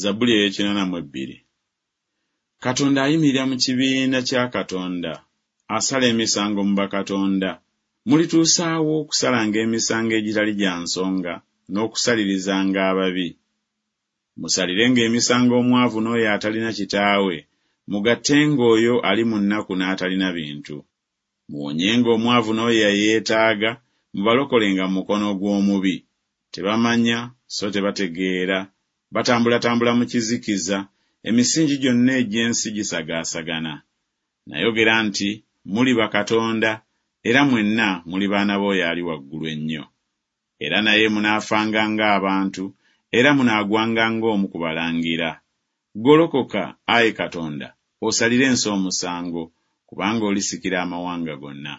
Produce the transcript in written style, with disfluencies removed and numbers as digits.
Zabbuli ey'ekinana mu ebbiri. Katonda ayimirira mu kibiina kya Katonda, asala emisango mu bakatonda. Mulituusa wa okusalanga emisango egitali gya nsonga, n'okusalirizanga ababi? Musalirenga emisango omwavu n'oyo atalina kitaawe, mugattenga oyo ali mu nnaku n'atalina bintu. Muwonyenga omwavu n'oyo eyeetaaga, mubalokolenga mu mukono gw'omubi. Tebamanya so tebategeera, batambulatambula mu kizikiza, emisingi gyonna egy'ensi gisagaasagana. Nayogera nti, Muli bakatonda, era mwenna muli baana b'oyo Ali Waggulu Ennyo. Era naye munaafanga ng'abantu, era munaagwanga ng'omu ku balangira. Golokoka, ayi Katonda, osalire ensi omusango, kubanga olisikira amawanga gonna.